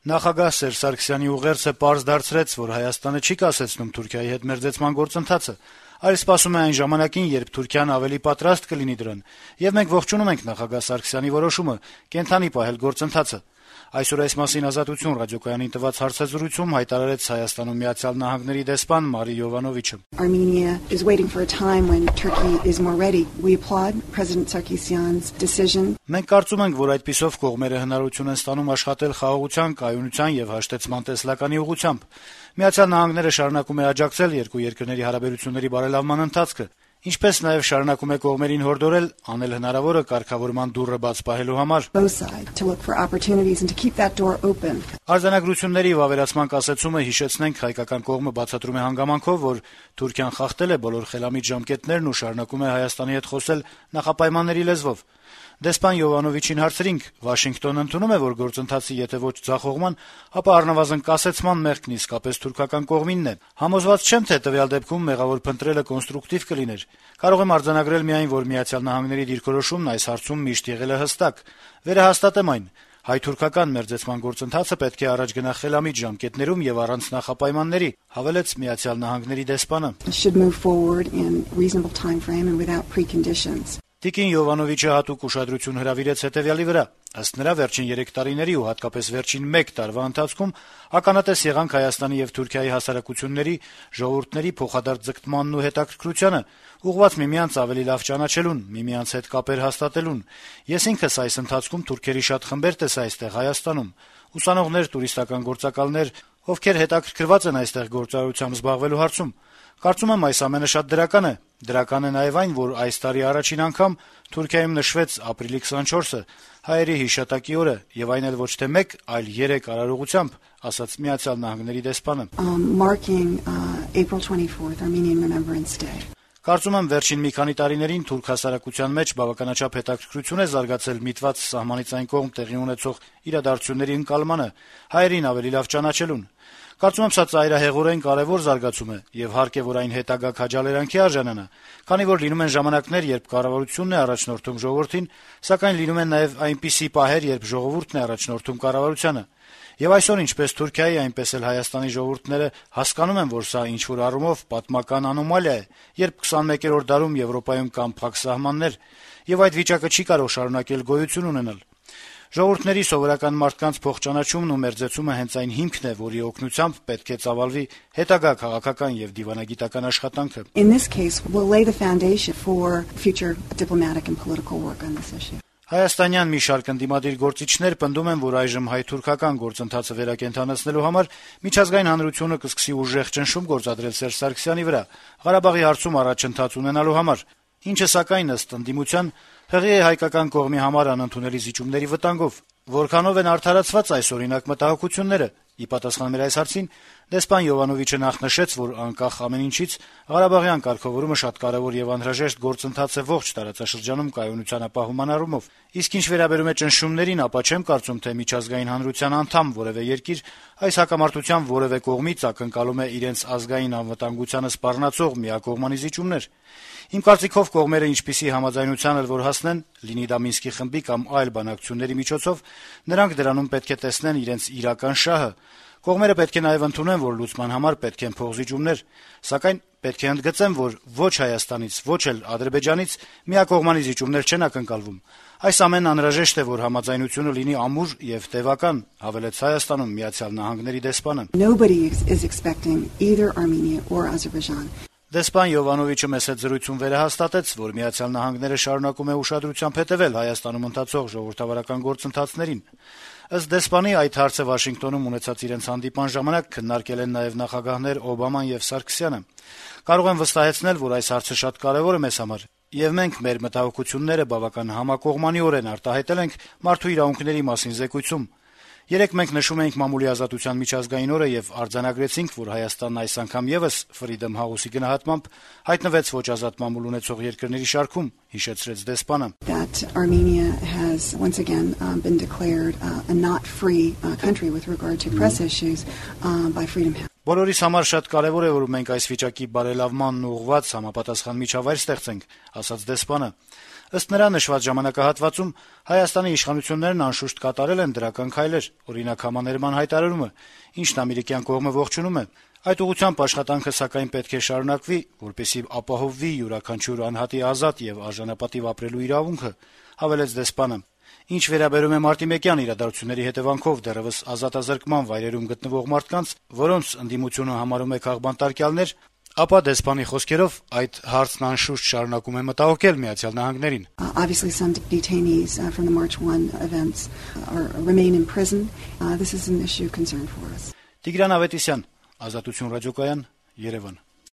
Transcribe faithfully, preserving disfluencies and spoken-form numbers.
Նախագահ Սերժ Սարգսյանի ուղերձը պարզ դարձրեց, որ Հայաստանը չի կասեցնում Թուրքիայի հետ մերձեցման գործընթացը, այլ սպասում է այն ժամանակին, երբ Թուրքիան ավելի պատրաստ կլինի դրան, եւ մենք ողջունում ենք նախագահ Սարգսյանի որոշումը կենթանի պահել գործընթացը։ Այսօր այս մասին Ազատություն ռադիոկայանին տված հարցազրույցում հայտարարեց Հայաստանում Միացյալ Նահանգների դեսպան Մարի Յովանովիչը. Armenia is waiting for a time when Turkey is more ready. We applaud President Sarkisyan's decision. Մենք կարծում ենք, որ այդպիսով կողմերը հնարավորություն են ստանում աշխատել խաղաղության, կայունության եւ հաշտեցման տեսլականի ուղղությամբ։ Միացյալ Նահանգները շարունակում է աջակցել երկու երկրների հարաբերությունների բարելավման ընթացքը, ինչպես նաեւ շարունակում է կողմերին հորդորել անել հնարավորը կարգավորման դուռը բաց պահելու համար։ Արձանագրությունների վավերացման կասեցումը հիշեցնենք հայկական կողմը բացատրում է հանգամանքով, որ Թուրքիան խախտել է բոլոր խելամիտ ժամկետներն ու շարունակում է Հայաստանի հետ խոսել նախապայմանների լեզվով։ Դեսպան Յովանովիչին հարցրինք. Վաշինգտոնը ընդունում է, որ գործընթացի եթե ոչ ձախողման, ապա առնվազն կասեցման մեղքն իսկապես թուրքական կողմինն է։ Համոզված չեմ, թե տվյալ դեպքում մեղավոր փնտրելը կոնստրուկտիվ կլիներ։ Կարող եմ արձանագրել միայն, որ Միացյալ Նահանգների դիրքորոշումն այս հարցում միշտ եղել է հստակ։ Վերահաստատեմ այն. հայ-թուրքական մերձեցման գործընթացը պետք է առաջ գնա խելամիտ ժամկետներում եւ առանց նախապայմանների, հավելեց Միացյալ Նահանգների դեսպանը։ Տիկին Յովանովիչը հատուկ ուշադրություն հրավիրեց հետեւյալի վրա. ըստ նրա վերջին երեք տարիների ու հատկապես վերջին մեկ տարվա ընթացքում ականատես եղանք Հայաստանի եւ Թուրքիայի հասարակությունների, ժողովուրդների փոխադարձ ձգտմանն ու հետաքրքրությանը, ուղղված միմյանց ավելի լավ ճանաչելուն, միմյանց հետ կապեր հաստատելուն։ Ես ինքս այս ընթացքում թուրքերի շատ խմբեր տեսա այստեղ Հայաստանում, ուսանողներ, տուրիստական գործակալներ, ովքեր հետաքրքրված են այստեղ գործարարությամբ զբաղվելու հարցում։ Կարծում եմ այս ամենը շատ դրական է։ Դրական է նաեւ այն, որ այս տարի առաջին անգամ Թուրքիայում նշվեց ապրիլի քսանչորսը, հայերի հիշատակի օրը, եւ այն էլ ոչ թե մեկ, այլ երեք արարողությամբ, ասաց Միացյալ Նահանգների դեսպանը։ Կարծում եմ վերջին մի քանի տարիներին թուրք հասարակության մեջ բավականաչափ հետաքրքրություն է զարգացել միտված սահմանից այն կողմ տեղի ունեցող իրադարձությունների ընկալմանը, հայերին ավելի լավ ճանաչելուն։ Կարծում եմ սա ծայրահեղորեն կարեւոր զարգացում է եւ հարկ է, որ այն հետագա քաջալերանքի արժանանա, քանի որ լինում են ժամանակներ, երբ կառավարությունն է առաջնորդում ժողովրդին, սակայն լինում են նաեւ այնպիսի պահեր, երբ ժողովուրդն է առաջնորդում կառավարությանը։ Եվ այսօր ինչպես Թուրքիայի, այնպես էլ Հայաստանի ժողովուրդները հասկանում են, որ սա ինչ-որ առումով պատմական անոմալիա է, երբ քսանմեկերորդ դարում Եվրոպայում կան փակ սահմաններ, եւ այդ վիճակը չի կարող շարունակել գոյություն ունենալ։ Ժողովուրդների սովորական մարդկանց փոխճանաչումն ու մերձեցումը հենց այն հիմքն է, որի օգնությամբ պետք է ծավալվի հետագա քաղաքական եւ դիվանագիտական աշխատանքը։ Հայաստանյան մի շարք ընդդիմադիր գործիչներ պնդում են, որ այժմ հայ-թուրքական գործընթացը վերակենդանացնելու համար միջազգային հանրությունը կսկսի ուժեղ ճնշում գործադրել Սերժ Սարգսյանի վրա, Ղարաբաղի հարցում առաջընթաց ունենալու համար, ինչը սակայն ըստ ընդդիմության հղի է հայկական կողմի համար անընդունելի զիջումների վտանգով։ Որքանով են արդարացված այս օրինակ մտահոգությունները։ Ի պատասխան մեր այս հարցին դեսպան Յովանովիչը նախ նշեց, որ անկախ ամեն ինչից Ղարաբաղյան կարգավորումը շատ կարեւոր եւ անհրաժեշտ գործընթաց է ողջ տարածաշրջանում կայունության ապահովման առումով։ Իսկ ինչ վերաբերում է ճնշումներին, ապա չեմ կարծում, թե միջազգային հանրության անդամ որեւէ երկիր այս հակամարտության որեւէ կողմից ակնկալում է իրենց ազգային անվտանգությանը սպառնացող միակողմանի զիջումներ։ Իմ կարծիքով կողմերը ինչպիսի համաձայնության էլ որ հասնեն, լինի դա Մինսկի խմբի կամ այլ բանակցությունների միջոցով, նրանք դրանում պետք է տեսնեն իրենց իրական շահը։ Կողմերը պետք է նաեւ ընդունեն, որ լուծման համար պետք են փոխզիջումներ, սակայն պետք է ընդգծեմ, որ ոչ Հայաստանից, ոչ էլ Ադրբեջանից միակողմանի զիջումներ չեն ակնկալվում։ Այս ամենն անհրաժեշտ է, որ համաձայնությունը լինի ամուր եւ տեւական, հավելեց Հայաստանում Միացյալ Նահանգների դեսպանը։ Դեսպան Յովանովիչը մեծ հետ զրույցում վերահաստատեց, որ Միացյալ Նահանգները շարունակում է ուշադրությամբ հետևել Հայաստանում ընթացող ժողովրդավարական գործընթացներին։ Ըստ դեսպանի այդ հարցը Վաշինգտոնում ունեցած իրենց հանդիպման ժամանակ քննարկել են նաեւ նախագահներ Օբաման եւ Սարգսյանը։ Կարող եմ վստահեցնել, որ այս հարցը շատ կարեւոր է մեզ համար, եւ մենք մեր մտահոգությունները բավական համակողմանիորեն արտահայտել ենք մարդու իրավունքների մասին զեկույցում։ Երեկ մենք նշում էինք մամուլի ազատության միջազգային օրը եւ արձանագրեցինք, որ Հայաստանն այս անգամ եւս Freedom House-ի գնահատմամբ հայտնվեց ոչ ազատ մամուլ ունեցող երկրների շարքում, հիշեցրեց դեսպանը։ That Armenia has once again um, been declared uh, a not free uh, country with regard to press issues uh, by Freedom House. Բոլորիս համար շատ կարեւոր է, որ մենք այս վիճակի բարելավմանն ուղղված համապատասխան միջավայր ստեղծենք, ասաց դեսպանը։ Ըստ նրա, նշված ժամանակահատվածում Հայաստանի իշխանություններն անշուշտ կատարել են դրական քայլեր, օրինակ համաներման հայտարարումը, ինչն ամերիկյան կողմը ողջունում է։ Այդ ուղղությամբ աշխատանքը սակայն պետք է շարունակվի, որպեսզի ապահովվի յուրաքանչյուր անհատի ազատ եւ արժանապատիվ ապրելու իրավունքը, հավելեց դեսպանը։ Ինչ վերաբերում է մարտիմեկյան իրադարձությունների հետևանքով դեռևս ազատազրկման վայրերում գտնվող մարդկանց, որոնց ընդդիմությունը համարում է քաղբանտարկյալներ, ապա դեսպանի խոսքերով այդ հարցն անշուշտ շարունակում է մտահոգել Միացյալ Նահանգներին. Obviously some detainees uh, from the March one events are remain in prison. Uh, this is an issue of concern for us. Տիգրան Ավետիսյան, Ազատություն ռադիոկայան, Երևան.